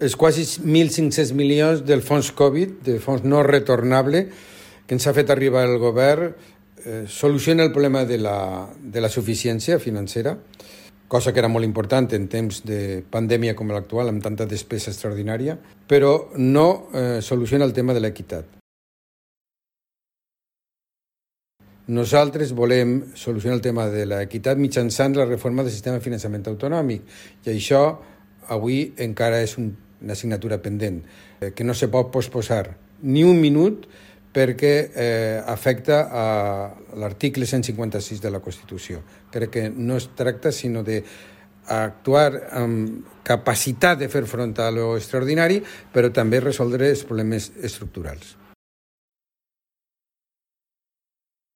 els quasi 1.500 milions del fons Covid, del fons no retornable, que ens ha fet arribar el govern, soluciona el problema de la suficiència financera, cosa que era molt important en temps de pandèmia com l'actual, amb tanta despesa extraordinària, però no soluciona el tema de l'equitat. Nosaltres volem solucionar el tema de l'equitat mitjançant la reforma del sistema de finançament autonòmic, i això avui encara és una assignatura pendent, que no se pot posposar ni un minut perquè afecta a l'article 156 de la Constitució. Crec que no es tracta sinó d'actuar amb capacitat de fer front a lo extraordinari, però també resoldre els problemes estructurals.